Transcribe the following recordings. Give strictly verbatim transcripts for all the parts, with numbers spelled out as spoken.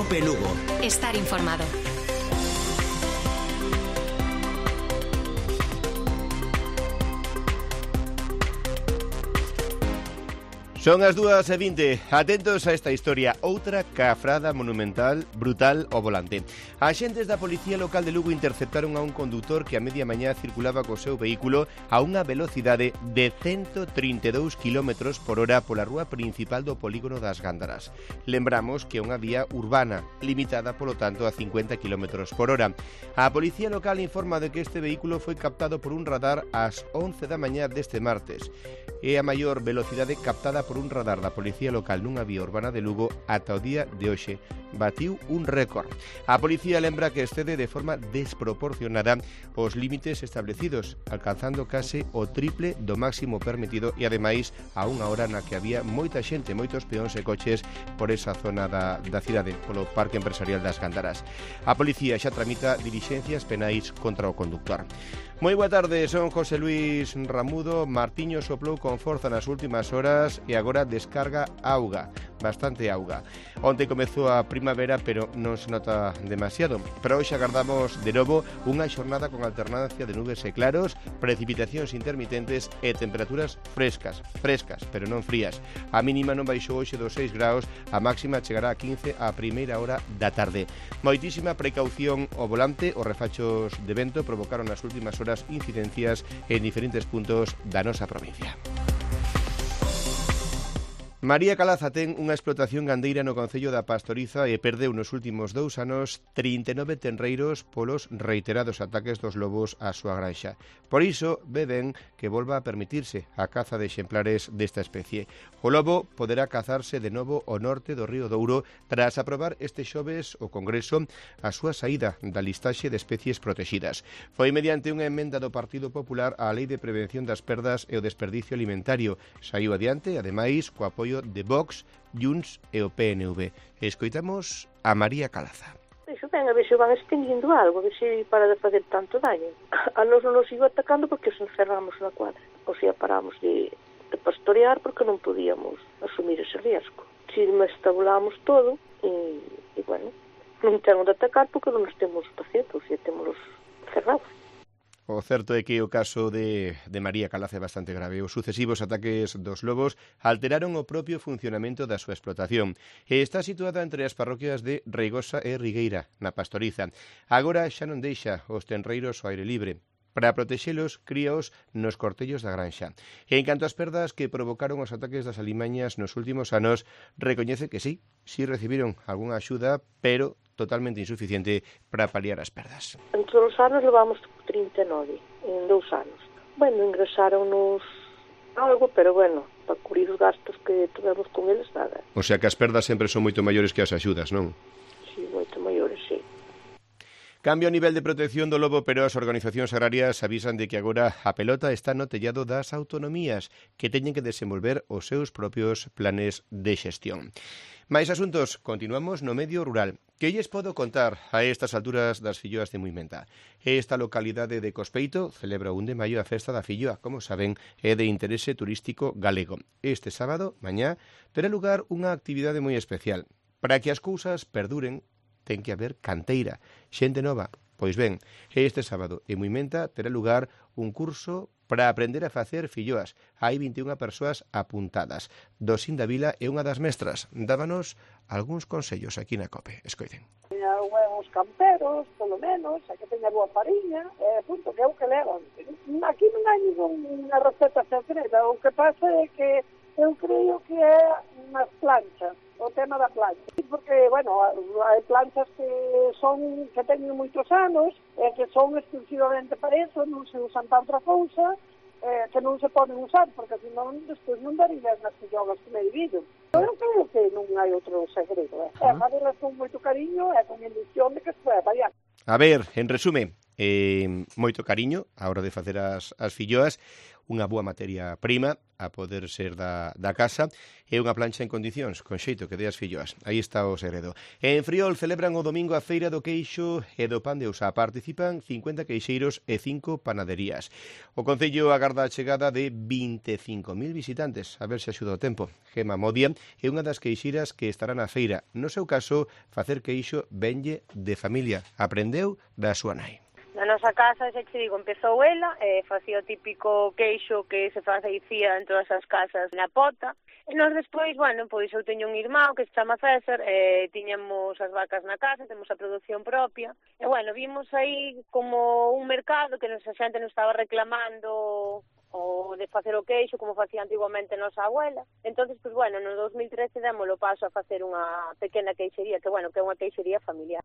COPE Lugo. Estar informado. Son as dúas e vinte. Atentos a esta historia. Outra cafrada monumental, brutal ao volante. Axentes da Policía Local de Lugo interceptaron a un condutor que a media mañá circulaba co seu vehículo a unha velocidade de ciento trinta e dous kilómetros por hora pola rúa principal do polígono das Gándaras. Lembramos que é unha vía urbana, limitada, polo tanto, a cincuenta kilómetros por hora. A Policía Local informa de que este vehículo foi captado por un radar ás once da mañá deste martes. É a maior velocidade captada por un radar da Policía Local nunha vía urbana de Lugo ata o día de hoxe. Batiu un récord. A Policía lembra que excede de forma desproporcionada os límites establecidos, alcanzando case o triple do máximo permitido e, ademais, a unha hora na que había moita xente, moitos peóns e coches por esa zona da, da cidade, polo Parque Empresarial das Gándaras. A Policía xa tramita dilixencias penais contra o conductor. Moi boa tarde, son José Luis Ramudo. Martiño soplou con forza nas últimas horas e agora descarga auga, bastante auga. Onte comezou a primavera, pero non se nota demasiado. Pero hoxe agardamos de novo unha xornada con alternancia de nubes e claros, precipitacións intermitentes e temperaturas frescas, frescas, pero non frías. A mínima non baixou hoxe dos seis graus, a máxima chegará a quince a primeira hora da tarde. Moitísima precaución ao volante, os refachos de vento provocaron nas últimas horas incidencias en diferentes puntos da nosa provincia. María Calaza ten unha explotación gandeira no concello da Pastoriza e perdeu nos últimos dous anos trinta e nove tenreiros polos reiterados ataques dos lobos á súa granxa. Por iso, ve ben que volva a permitirse a caza de exemplares desta especie. O lobo poderá cazarse de novo ao norte do río Douro tras aprobar este xoves o Congreso a súa saída da listaxe de especies protegidas. Foi mediante unha emenda do Partido Popular á Lei de Prevención das Perdas e o Desperdicio Alimentario. Saiu adiante, ademais, co apoio de Vox, Junts e o P N V. Escoitamos a María Calaza. Iso ben, a ver se van extinguindo algo, a ver se para de fazer tanto daño. A nos non nos sigo atacando porque os encerramos na cuadra. O sea, paramos de, de pastorear porque non podíamos asumir ese riesgo. Si me estabulamos todo e, e bueno, non tengo de atacar porque non nos temos pacientes, o sea, temos cerrados. O certo é que o caso de, de María Calaza é bastante grave. Os sucesivos ataques dos lobos alteraron o propio funcionamento da súa explotación e está situada entre as parroquias de Reigosa e Rigueira, na Pastoriza. Agora xa non deixa os tenreiros ao aire libre. Para protexelos, críaos nos cortellos da granxa. E en canto ás perdas que provocaron os ataques das alimañas nos últimos anos, recoñece que sí, sí recibiron algunha axuda, pero totalmente insuficiente para paliar as perdas. En todos os anos levamos trinta e nove, en dous anos. Bueno, ingresaron-nos algo, pero bueno, para cubrir os gastos que tivemos con eles, nada. O sea que as perdas sempre son moito maiores que as axudas, non? Sí, moito maiores, sí. Cambio a nivel de protección do lobo, pero as organizacións agrarias avisan de que agora a pelota está no tellado das autonomías, que teñen que desenvolver os seus propios planes de xestión. Mais asuntos, continuamos no medio rural. Que lles podo contar a estas alturas das filloas de Muimenta? Esta localidade de Cospeito celebra o un de maio a festa da filloa, como saben, é de interese turístico galego. Este sábado, mañá, terá lugar unha actividade moi especial. Para que as cousas perduren, ten que haber canteira, xente nova. Pois ben, este sábado en Muimenta terá lugar un curso para aprender a facer filloas. Hai vinte e unha persoas apuntadas. Dosín da Vila é unha das mestras. Dábanos algúns consellos aquí na COPE. Escoiten. Os camperos, polo menos, a que teña boa fariña, é punto que é o que levan. Aquí non hai ninguna receta secreta. O que pasa é que eu creo que é nas planchas, o tema da plancha. Porque, bueno, hai planchas que son que teñen moitos anos e que son exclusivamente para eso, non se usan para outra cousa, eh, que non se poden usar, porque senón despois non darían nas fillogas que me vivido. Eu creo que non hai outro segredo. Eh? Uh -huh. É fazelas con moito cariño e con ilusión de que se pueda variar. A ver, en resume, eh, moito cariño á hora de facer as, as filloas, unha boa materia prima a poder ser da, da casa e unha plancha en condicións, con xeito que dé as filloas. Aí está o segredo. En Friol celebran o domingo a Feira do Queixo e do Pan de Ousa. Participan cincuenta queixeiros e cinco panaderías. O Concello agarda a chegada de vinte e cinco mil visitantes. A ver se axuda o tempo. Gema Modia é unha das queixeiras que estará na feira. No seu caso, facer queixo venlle de familia. Aprendeu da súa nai. Na nosa casa, xa te digo, empezou ela, e facía o típico queixo que se facía en todas as casas na pota, e nós despois, bueno, pois eu teño un irmão que se chama César, e tiñamos as vacas na casa, temos a produción propia, e bueno, vimos aí como un mercado que nosa xente nos estaba reclamando o de facer o queixo como facía antiguamente a nosa abuela. Entonces, pues bueno, no dos mil trece démolo paso a facer unha pequena queixería, que bueno, que é unha queixería familiar.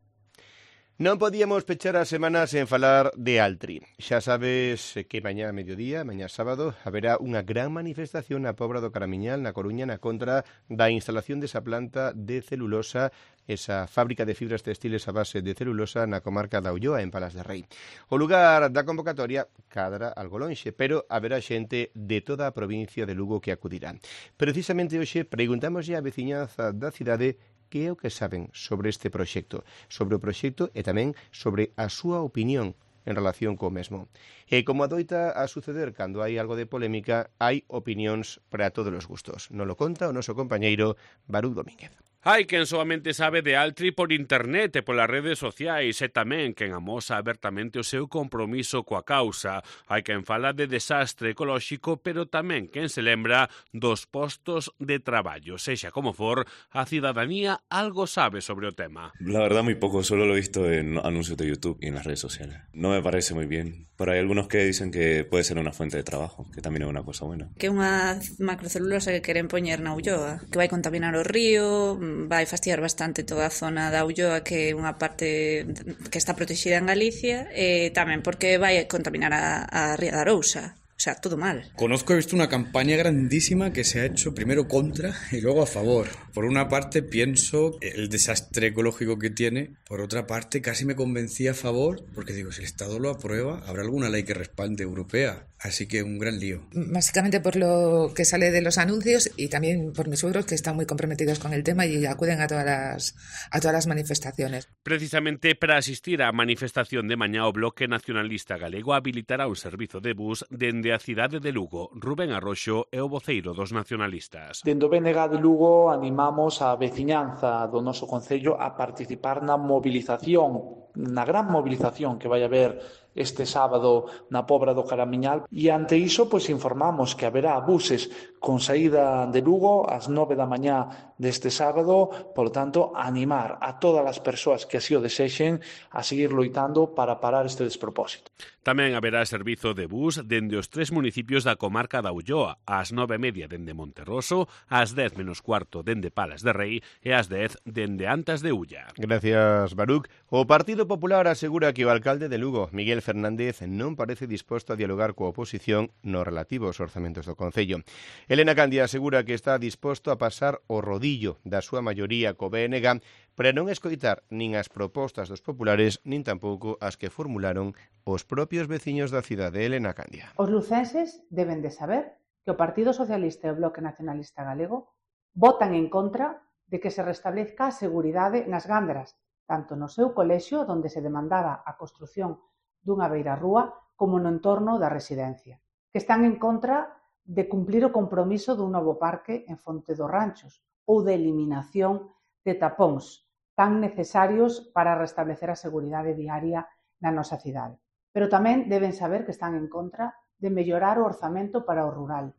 Non podíamos pechar as semanas en falar de Altri. Xa sabes que mañá a mediodía, mañá sábado, haberá unha gran manifestación na Pobra do Caramiñal, na Coruña, na contra da instalación desa planta de celulosa, esa fábrica de fibras textiles a base de celulosa na comarca da Ulloa, en Palas de Rei. O lugar da convocatoria cadra algo lonxe, pero haberá xente de toda a provincia de Lugo que acudirá. Precisamente hoxe preguntámoslle á veciñanza da cidade que é o que saben sobre este proxecto, sobre o proxecto e tamén sobre a súa opinión en relación co mesmo. E como adoita a suceder cando hai algo de polémica, hai opinións para todos os gustos. Nos lo conta o noso compañeiro Baruch Domínguez. Hai quen solamente sabe de Altri por internet e polas redes sociais e tamén quen amosa abertamente o seu compromiso coa causa. Hai quen fala de desastre ecolóxico, pero tamén quen se lembra dos postos de traballo. Sexa como for, a cidadanía algo sabe sobre o tema. La verdad muy poco, solo lo he visto en anuncios de YouTube y en las redes sociales. No me parece muy bien, pero hay algunos que dicen que puede ser una fuente de trabajo, que tamén é unha cosa buena. Que é unha macrocelulosa que queren poñer na Ulloa, que vai contaminar o río, vai fastidiar bastante toda a zona da Ulloa, que é unha parte que está protegida en Galicia, e tamén porque vai contaminar a, a Ría de Arousa. O sea, todo mal. Conozco, he visto una campaña grandísima que se ha hecho primero contra y luego a favor. Por una parte pienso el desastre ecológico que tiene, por otra parte casi me convencí a favor, porque digo, si el Estado lo aprueba, habrá alguna ley que respalde europea. Así que un gran lío. Básicamente por lo que sale de los anuncios y también por mis suegros que están muy comprometidos con el tema y acuden a todas las, a todas las manifestaciones. Precisamente para asistir á manifestación de mañá, o Bloque Nacionalista Galego habilitará un servizo de bus dende a cidade de Lugo. Rubén Arroxo é o voceiro dos nacionalistas. Dende o B N G de Lugo animamos a veciñanza do noso concello a participar na movilización, na gran movilización que vai haber este sábado na Pobra do Caramiñal, e ante iso pois informamos que haberá buses con saída de Lugo ás nove da mañá deste sábado, por tanto, animar a todas as persoas que así o desexen a seguir loitando para parar este despropósito. Tamén haberá servizo de bus dende os tres municipios da comarca da Ulloa, ás nove e media dende Monterroso, ás dez menos cuarto dende Palas de Rei e ás dez dende Antas de Ulla. Gracias, Baruch. O Partido Popular asegura que o alcalde de Lugo, Miguel Fernández, non parece disposto a dialogar coa oposición no relativo aos orzamentos do Concello. Elena Candia asegura que está disposto a pasar o rodillo da súa maioría co B N G para non escoitar nin as propostas dos populares nin tampouco as que formularon os propios veciños da cidade. Elena Candia. Os lucenses deben de saber que o Partido Socialista e o Bloque Nacionalista Galego votan en contra de que se restablezca a seguridade nas Gandras, tanto no seu colexio, onde se demandaba a construción dunha beirarrúa, como no entorno da residencia, que están en contra de cumplir o compromiso dun novo parque en Fonte dos Ranchos ou de eliminación de tapóns tan necesarios para restablecer a seguridade viaria na nosa cidade. Pero tamén deben saber que están en contra de mellorar o orzamento para o rural.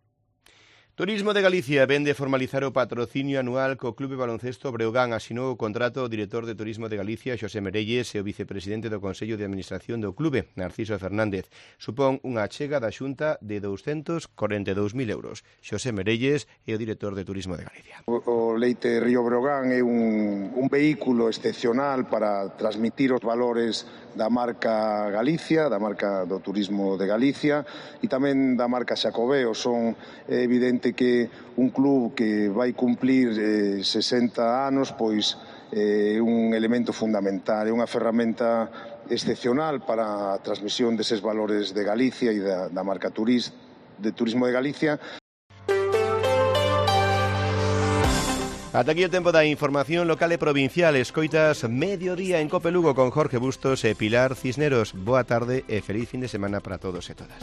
Turismo de Galicia vende formalizar o patrocinio anual co Clube Baloncesto Breogán. Asinou o contrato o director de Turismo de Galicia, Xosé Merelles, e o vicepresidente do Consello de Administración do clube, Narciso Fernández. Supón unha achega da Xunta de doscientos corenta e dous mil euros. Xosé Merelles é o director de Turismo de Galicia. O Leite Río Breogán é un, un vehículo excepcional para transmitir os valores da marca Galicia, da marca do turismo de Galicia e tamén da marca Xacobeo. Son evidente que un club que vai cumplir eh, sesenta anos, pois é eh, un elemento fundamental, é unha ferramenta excepcional para a transmisión deses valores de Galicia e da, da marca turis, de turismo de Galicia. Ata aquí o tempo da información local e provincial. Escoitas Mediodía en Cope Lugo con Jorge Bustos e Pilar Cisneros. Boa tarde e feliz fin de semana para todos e todas.